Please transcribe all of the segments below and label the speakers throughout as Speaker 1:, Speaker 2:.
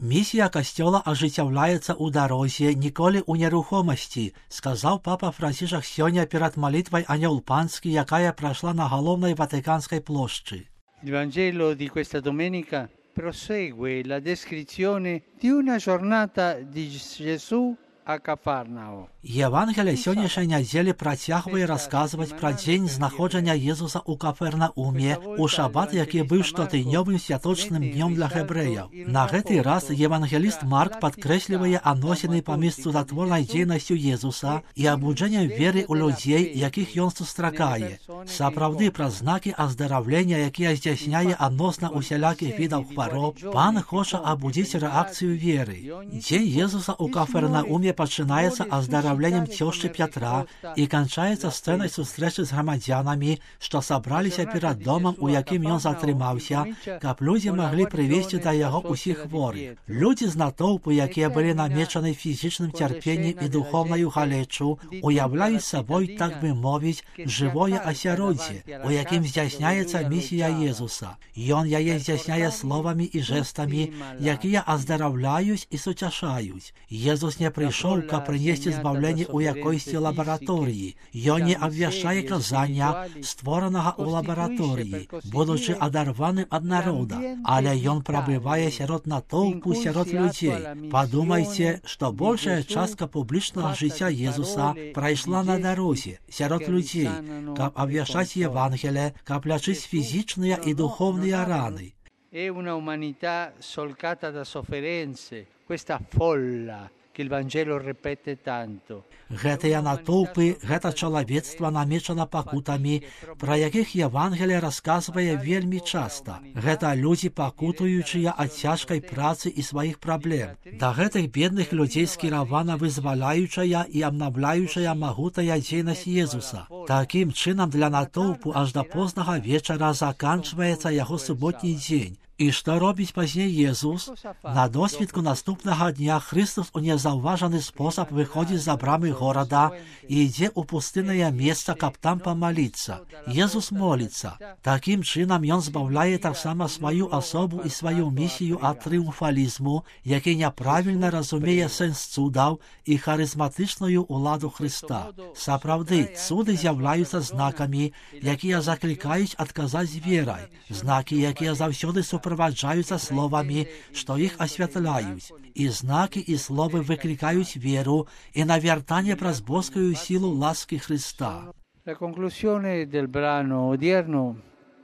Speaker 1: Місія касцёла ажыццяўляецца ў дарозе, ніколі ў нерухомасці, сказаў папа Францішак сёння перад малітвай Анёл Панскі, якая прайшла на галоўнай Ватыканскай плошчы.
Speaker 2: Il Vangelo di questa domenica prosegue la descrizione di una giornata di Gesù a Cafarnao.
Speaker 1: Евангелие сённяшняй нядзелі працягвае расказваць пра дзень знаходжання Езуса ў Кафернауме, у шабат, які быў штотыднёвым святочным днём для гэбрэяў. На гэты раз евангеліст Марк падкрэслівае адносіны паміж цудатворнай дзейнасцю Езуса і абуджэннем веры ў людзей, якіх ён сустракае. Сапраўды, праз знакі аздараўлення, якія здзяйсняе адносна усялякіх відаў хвароб, Пан хоча абудзіць рэакцыю веры. Дзень Езуса ў Кафернауме пачынаецца аздараўленнем цёшчы Пятра і канчаецца сцэнай сустрэчы з грамадзянамі, што сабраліся перад домам, у якім ён затрымаўся, каб людзі маглі прывесці да яго ўсіх хворых. Людзі з натоўпу, якія былі намечаны фізічным цярпеннем і духоўнаю галечу, уяўляюць сабой, так бы мовіць, жывое асяроддзе, у якім здзяйсняецца місія Езуса. Ён яе здзяйсняе словамі і жэстамі, якія аздараўляюць і суцяшаюць. Езус не прыйшоў, каб прынесці збаўленне ў якойсьці лабараторыі. Ён не абвяшчае казання, створанага ў лабараторыі, будучы адарваным ад народа, але ён прабывае сярод натоўпу, сярод людзей. Падумайце, што большая частка публічнага жыцця Езуса прайшла на дарозе, сярод людзей, каб абвяшчаць Евангелие, каб лячыць фізічныя і духоўныя раны.
Speaker 2: È una umanità solcata da sofferenze, questa folla che il Vangelo ripete tanto.
Speaker 1: Гэтыя натоўпы, гэта чалавецтва намечана пакутамі, пра якіх Евангелие расказвае вельмі часта. Гэта людзі, пакутуючыя ад цяжкай працы і сваіх праблем. Да гэтых бедных людзей скіравана вызваляючая і абнаўляючая магутная дзейнасць Езуса. Такім чынам для натоўпу аж да познага вечара заканчваецца яго суботні дзень. І што робіць пазней Езус? На досвідку наступнага дня Христос у незаўважаны спосаб выходзіць за брамы горада і ідзе ў пустыннае месца, каб там памаліцца. Езус моліцца. Такім чынам ён збаўляе таксама сваю асобу і сваю місію ад трыумфалізму, які няправільна разумее сэнс цудаў і харызматычную ўладу Хрыста. Сапраўды, цуды з'яўляюцца знакамі, якія заклікаюць адказаць верай, знакі, якія заўсёды суправаджаюцца словамі, што іх асвятляюць. І знакі і словы выклікаюць веру і навяртанне праз боскую сілу ласкі Христа.
Speaker 2: La conclusione del brano odierno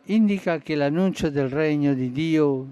Speaker 2: indica che l'annuncio del regno di Dio.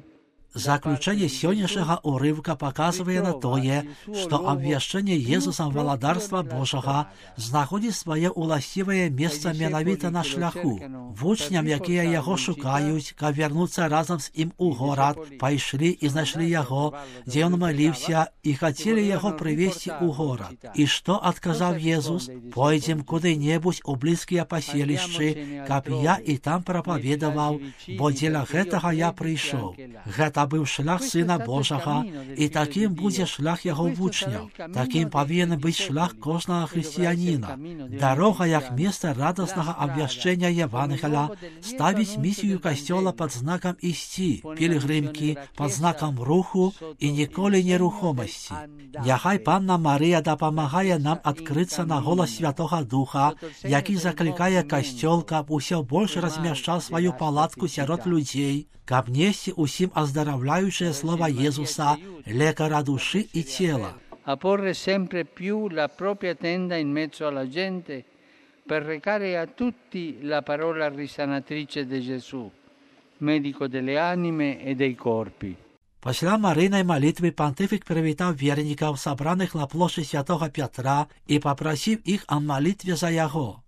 Speaker 1: Заключэнне сённяшняга ўрыўка паказвае на тое, што абвяшчэнне Езусам валадарства Божага знаходзіць свае ўласцівае месца менавіта на шляху. Вучням, якія яго шукаюць, каб вярнуцца разам з ім у горад, пайшлі і знайшлі яго, дзе ён маліўся, і хацелі яго прывесці ў горад. І што адказаў Езус? Пойдзем куды-небудзь у блізкія паселішчы, каб я і там прапаведаваў, бо дзеля гэтага я прыйшоў. Гэта быў шлях Сына Божага, і такім будзе шлях яго вучняў. Такім павінен быць шлях кожнага хрысціяніна. Дарога, як месца радаснага абвяшчэння Евангеля, ставіць місію касцёла пад знакам ісці, пілігрымкі, пад знакам руху і ніколі нерухомасці. Няхай Панна Марыя дапамагае нам адкрыцца на голас Святога Духа, які заклікае касцёл, каб усё больш размяшчаў сваю палатку сярод людзей, каб несці усім аздараўляючае слова Езуса, лекара душы і цела.
Speaker 2: A porre sempre più la propria tenda in mezzo alla gente per recare a tutti la parola risanatrice di Gesù, medico delle anime e dei corpi.
Speaker 1: Пасля марыйнай малітвы пантыфік прывітаў вернікаў, сабраных на плошчы Святога Пятра, і папрасіў іх о малітве за яго.